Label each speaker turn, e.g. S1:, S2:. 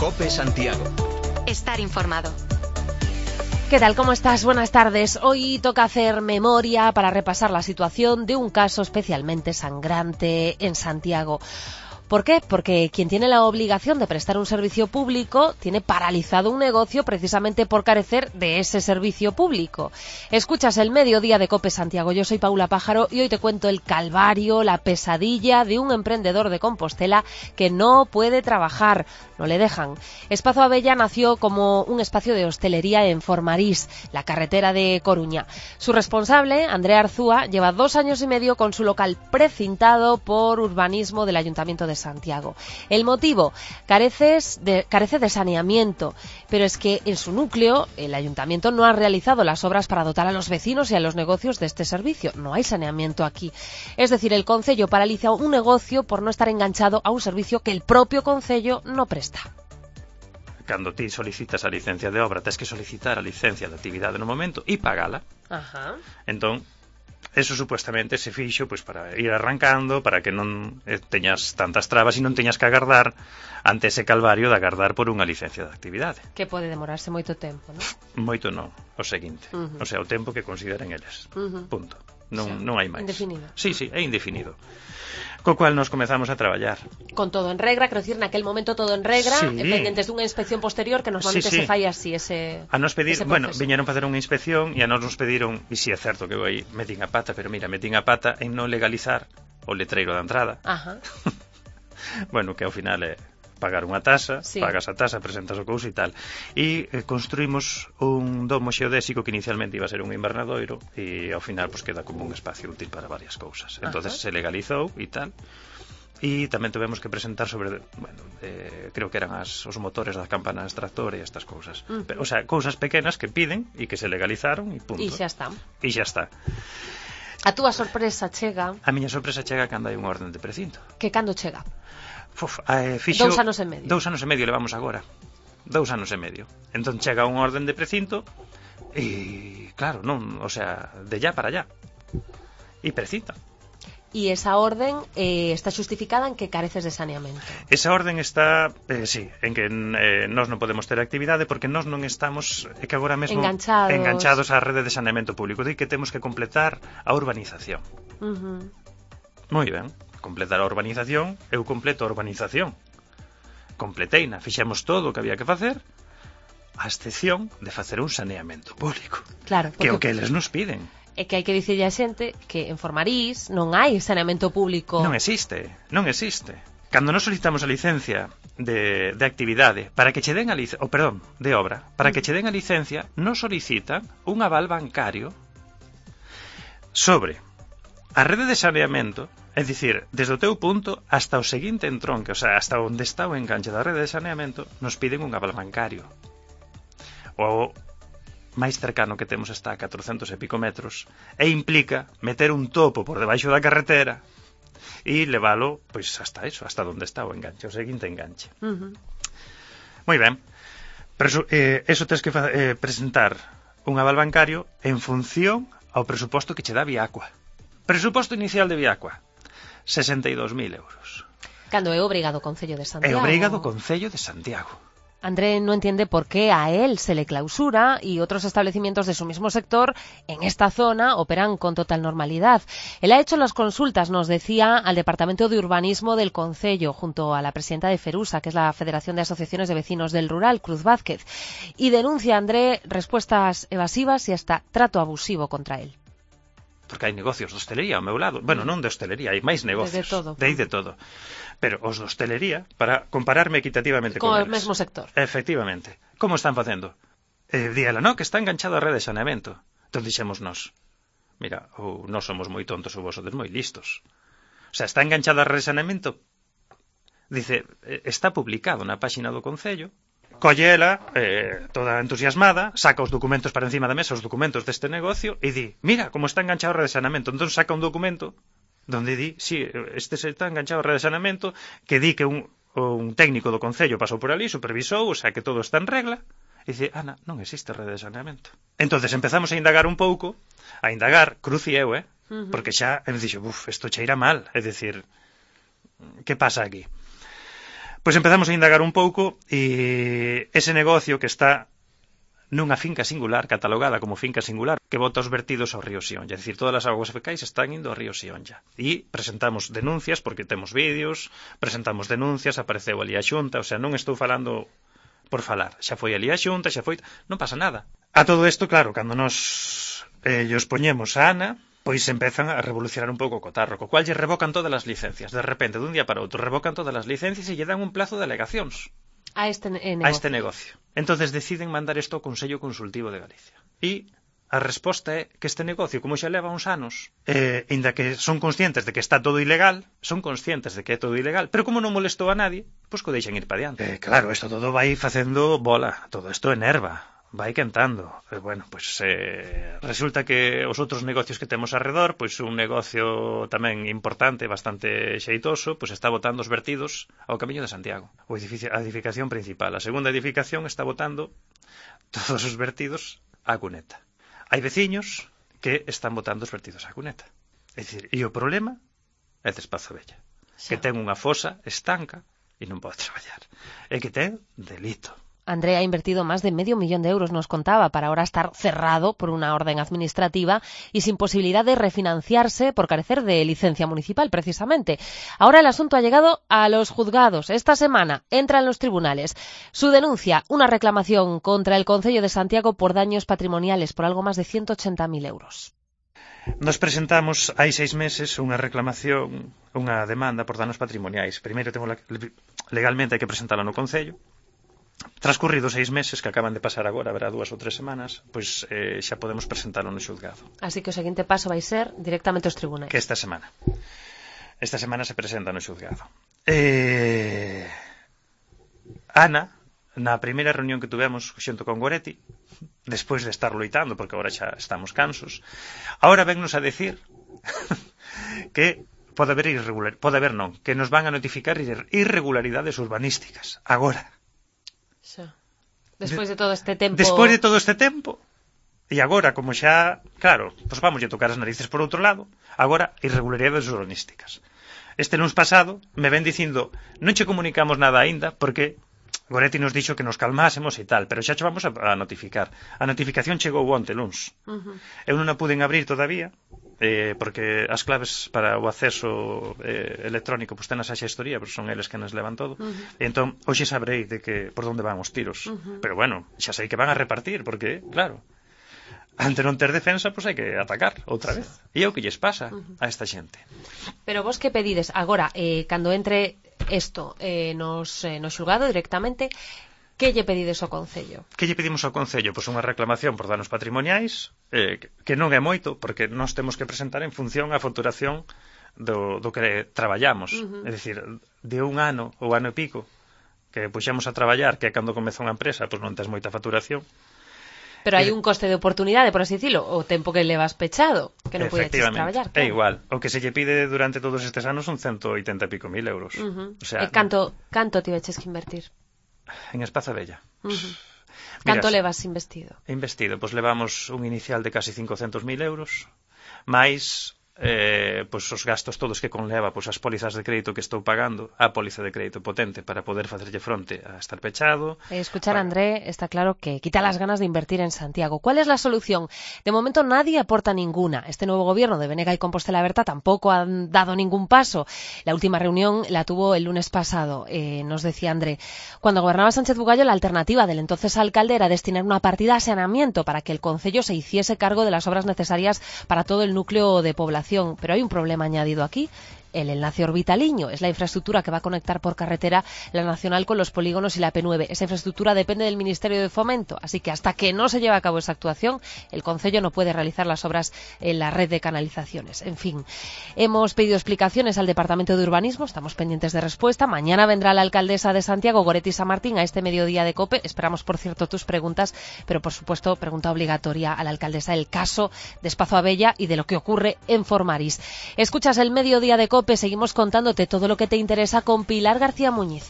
S1: COPE Santiago.
S2: Estar informado.
S3: ¿Qué tal? ¿Cómo estás? Buenas tardes. Hoy toca hacer memoria para repasar la situación de un caso especialmente sangrante en Santiago. ¿Por qué? Porque quien tiene la obligación de prestar un servicio público tiene paralizado un negocio precisamente por carecer de ese servicio público. Escuchas el mediodía de COPE Santiago. Yo soy Paula Pájaro y hoy te cuento el calvario, la pesadilla de un emprendedor de Compostela que no puede trabajar. No le dejan. Espazo Abella nació como un espacio de hostelería en Formarís, la carretera de Coruña. Su responsable, Andrea Arzúa, lleva 2 años y medio con su local precintado por urbanismo del Ayuntamiento de Santiago. El motivo, carece de saneamiento, pero es que en su núcleo el Ayuntamiento no ha realizado las obras para dotar a los vecinos y a los negocios de este servicio. No hay saneamiento aquí. Es decir, el concello paraliza un negocio por no estar enganchado a un servicio que el propio concello no presta.
S4: Cando ti solicitas a licencia de obra, tens que solicitar a licencia de actividade no momento e pagala.
S3: Ajá.
S4: Entón, eso supuestamente se fixo pois para ir arrancando, para que non teñas tantas trabas e non teñas que agardar ante ese calvario de agardar por unha licencia de actividade.
S3: Que pode demorarse moito tempo, non?
S4: Moito non, o seguinte. O sea, o tempo que consideren eles. Punto. Non hai máis.
S3: Indefinido.
S4: Sí, é indefinido. Co cual nos comezamos a traballar.
S3: Con todo en regra, quero dicir, naquel momento todo en regra,
S4: sí.
S3: Pendentes dunha inspección posterior que normalmente se fai así ese
S4: a nos pedir, bueno,
S3: proceso.
S4: viñeron facer unha inspección e a nos pediron, e si é certo que eu aí metín a pata, pero mira, metín a pata en non legalizar o letreiro da entrada.
S3: Ajá.
S4: Bueno, que ao final é pagar unha tasa,
S3: sí.
S4: Pagas a tasa, presentas o couso e tal. E construímos un domo xeodésico que inicialmente iba a ser un invernadoiro e ao final pues queda como un espacio útil para varias cousas. Entonces se legalizou e tal. E tamén tuvemos que presentar sobre, bueno, creo que eran os motores das campanas tractor e estas cousas. O sea, cousas pequenas que piden e que se legalizaron e punto.
S3: E xa está.
S4: E xa está.
S3: A túa sorpresa chega...
S4: A miña sorpresa chega cando hai unha orden de precinto.
S3: Que cando chega?
S4: Fixo
S3: 2 anos e medio.
S4: 2 anos e medio levamos agora. 2 anos e medio. Entón chega unha orden de precinto e, claro, non, o sea, de ya para allá. E precinta.
S3: E esa orden está xustificada en que careces de saneamento.
S4: Esa orden está, sí, en que nós non podemos ter actividade porque nós non estamos, que agora mesmo enganchados á rede de saneamento público. Di que temos que completar a urbanización. Moi ben, completar a urbanización, eu completo a urbanización. Completeina, fixemos todo o que había que facer, a excepción de facer un saneamento público.
S3: Claro,
S4: que é o que eles nos piden.
S3: É que hai que dicirlle a xente que en Formarís non hai saneamento público.
S4: Non existe. Cando nos solicitamos a licencia de actividade para que che den a licencia, de obra, para que che den a licencia, nos solicitan un aval bancario sobre a rede de saneamento, é dicir, desde o teu punto hasta o seguinte entronque, o sea, hasta onde está o enganche da rede de saneamento, nos piden un aval bancario. O máis cercano que temos está a 400 e pico metros e implica meter un topo por debaixo da carretera e leválo, pois, hasta onde está o enganche, o seguinte enganche. Moi ben, pero eso tens que presentar un aval bancario en función ao presuposto que che dá Viacua. Presuposto inicial de Viacua, 62.000 euros.
S3: Cando é obrigado o Concello de Santiago.
S4: É obrigado o Concello de Santiago.
S3: André no entiende por qué a él se le clausura y otros establecimientos de su mismo sector en esta zona operan con total normalidad. Él ha hecho las consultas, nos decía, al Departamento de Urbanismo del Concello, junto a la presidenta de Ferusa, que es la Federación de Asociaciones de Vecinos del Rural, Cruz Vázquez, y denuncia, André, respuestas evasivas y hasta trato abusivo contra él.
S4: Porque hai negocios de hostelería ao meu lado. Bueno, non de hostelería, hai máis negocios. De todo. Pero os de hostelería, para compararme equitativamente con eles.
S3: Con o mesmo sector.
S4: Efectivamente. Como están facendo? Díala, no, que está enganchado a rede de saneamento. Entón dixemos nós, mira, ou nós somos moi tontos ou vos sodes moi listos. O sea, está enganchado a rede de saneamento. Dice, está publicado na páxina do Concello. Colle ela, toda entusiasmada, saca os documentos para encima da mesa, os documentos deste negocio, e di, mira como está enganchado a rede de saneamento. Entón saca un documento donde di, sí, este se está enganchado a rede de saneamento, que di que un técnico do Concello pasou por ali, supervisou, o sea que todo está en regla, e dice, Ana, non existe rede de saneamento. Entonces empezamos a indagar un pouco, Cruz e eu, porque xa me dixo, isto cheira mal, é dicir, que pasa aquí? Pois empezamos a indagar un pouco e ese negocio que está nunha finca singular, catalogada como finca singular, que bota os vertidos ao río Sionlla. É dicir, todas as augas fecais están indo ao río Sionlla. E presentamos denuncias, porque temos vídeos, presentamos denuncias, apareceu ali a Xunta, o sea, non estou falando por falar. Xa foi ali a Xunta, xa foi... Non pasa nada. A todo isto, claro, cando nos llos poñemos a Ana, pois empezan a revolucionar un pouco o cotarro, co cual lle revocan todas as licencias. De repente, dun día para outro, revocan todas as licencias e lle dan un plazo de alegacións.
S3: A este
S4: negocio. Entonces deciden mandar isto ao Consello Consultivo de Galicia. E a resposta é que este negocio, como xa leva uns anos, inda que son conscientes de que está todo ilegal, pero como non molestou a nadie, pois que o deixan ir para diante. Claro, isto todo vai facendo bola, todo isto enerva, vai quentando. Bueno, pois resulta que os outros negocios que temos arredor, pois un negocio tamén importante, bastante xeitoso, pois está botando os vertidos ao Camiño de Santiago, a edificación principal. A segunda edificación está botando todos os vertidos á cuneta. Hai veciños que están botando os vertidos á cuneta. É dicir, e o problema é de Espazo Bella, que ten unha fosa estanca e non pode traballar. É que ten delito.
S3: André ha invertido más de €500.000, nos contaba, para ahora estar cerrado por una orden administrativa y sin posibilidad de refinanciarse por carecer de licencia municipal, precisamente. Ahora el asunto ha llegado a los juzgados. Esta semana entra en los tribunales. Su denuncia, una reclamación contra el Concello de Santiago por daños patrimoniales por algo más de €180.000.
S4: Nos presentamos hai 6 meses unha reclamación, unha demanda por danos patrimoniais. Primeiro, legalmente hai que presentala no Concello. Transcurridos 6 meses, que acaban de pasar agora, haberá 2 ou 3 semanas, pois xa podemos presentalo no xulgado.
S3: Así que o seguinte paso vai ser directamente aos tribunais.
S4: Que esta semana se presenta no xulgado. Ana, na primeira reunión que tuvemos xunto con Goretti, despois de estar loitando, porque agora xa estamos cansos, agora vennos a decir que pode haber que nos van a notificar irregularidades urbanísticas. Agora.
S3: Despois de todo este tempo.
S4: E agora, como xa, claro, pois vamos a tocar as narices por outro lado, agora irregularidades urbanísticas. Este luns pasado me ven dicindo, non che comunicamos nada aínda, porque Goretti nos dixo que nos calmásemos e tal, pero xa che vamos a notificar. A notificación chegou onte luns. Eu non a puden abrir todavía, porque as claves para o acceso electrónico pues tenas a xestoría, pero son eles que nos levan todo. E entón, hoxe sabrei de que por onde van os tiros. Pero bueno, xa sei que van a repartir, porque, claro, ante non ter defensa, pois hai que atacar outra vez. E é o que lles pasa a esta xente.
S3: Pero vos que pedides agora, cando entre isto nos xulgado directamente, que lle pedides ao Concello?
S4: Que lle pedimos ao Concello? Pois unha reclamación por danos patrimoniais, que non é moito, porque nós temos que presentar en función a facturación do que traballamos. É dicir, de un ano ou ano e pico que puxemos a traballar, que é cando comeza unha empresa, pois non tes moita facturación.
S3: Pero hai un coste de oportunidade, por así dicilo, o tempo que levas pechado, que non podes traballar.
S4: É igual, o que se lle pide durante todos estes anos son 180 e pico mil euros.
S3: O sea, e canto tiveches que invertir?
S4: En Espazo Bella.
S3: Canto levas investido?
S4: Pois levamos un inicial de casi 500.000 euros, máis pois os gastos todos que conleva, pois as pólizas de crédito que estou pagando, a póliza de crédito potente para poder facerlle fronte a estar pechado.
S3: Escuchar a André, está claro que quita las ganas de invertir en Santiago. ¿Cuál es la solución? De momento nadie aporta ninguna. Este nuevo gobierno de Bénega y Compostela Berta tampoco han dado ningún paso. La última reunión la tuvo el lunes pasado, nos decía André. Cuando gobernaba Sánchez Bugallo, la alternativa del entonces alcalde era destinar una partida a saneamiento para que el concello se hiciese cargo de las obras necesarias para todo el núcleo de población. Pero hay un problema añadido aquí. El enlace Orbitaliño es la infraestructura que va a conectar por carretera la Nacional con los polígonos y la P9. Esa infraestructura depende del Ministerio de Fomento, así que hasta que no se lleve a cabo esa actuación, el Concello no puede realizar las obras en la red de canalizaciones. En fin, hemos pedido explicaciones al Departamento de Urbanismo, estamos pendientes de respuesta. Mañana vendrá la alcaldesa de Santiago, Goretti Samartín, a este mediodía de COPE. Esperamos, por cierto, tus preguntas, pero por supuesto, pregunta obligatoria a la alcaldesa del caso de Espazo Abella y de lo que ocurre en Formaris. Escuchas el mediodía de COPE. Seguimos contándote todo lo que te interesa con Pilar García Muñiz.